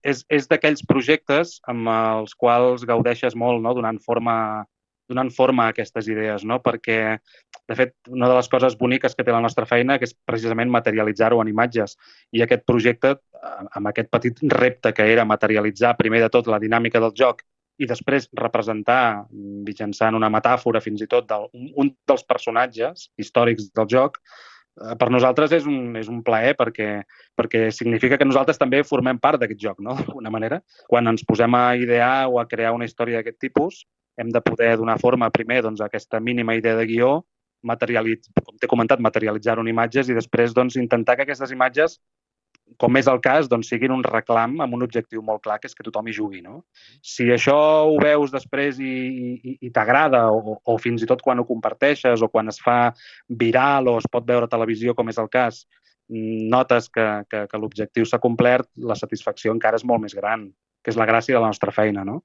és d'aquells projectes amb els quals gaudeixes molt, no? Donant forma a aquestes idees, no? Perquè, de fet, una de les coses boniques que té la nostra feina que és precisament materialitzar-ho en imatges. I aquest projecte, amb aquest petit repte que era materialitzar primer de tot la dinàmica del joc i després representar mitjançant una metàfora fins i tot un dels personatges històrics del joc, per nosaltres és un plaer perquè significa que nosaltres també formem part d'aquest joc, no? D'alguna manera. Quan ens posem a idear o a crear una història d'aquest tipus, hem de poder donar forma primer doncs, a aquesta mínima idea de guió, com t'he comentat, materialitzar-ho en imatges i després doncs, intentar que aquestes imatges, com és el cas, doncs, siguin un reclam amb un objectiu molt clar, que és que tothom hi jugui. No? Si això ho veus després i t'agrada, o fins i tot quan ho comparteixes, o quan es fa viral o es pot veure a televisió, com és el cas, notes que l'objectiu s'ha complert, la satisfacció encara és molt més gran, que és la gràcia de la nostra feina. No?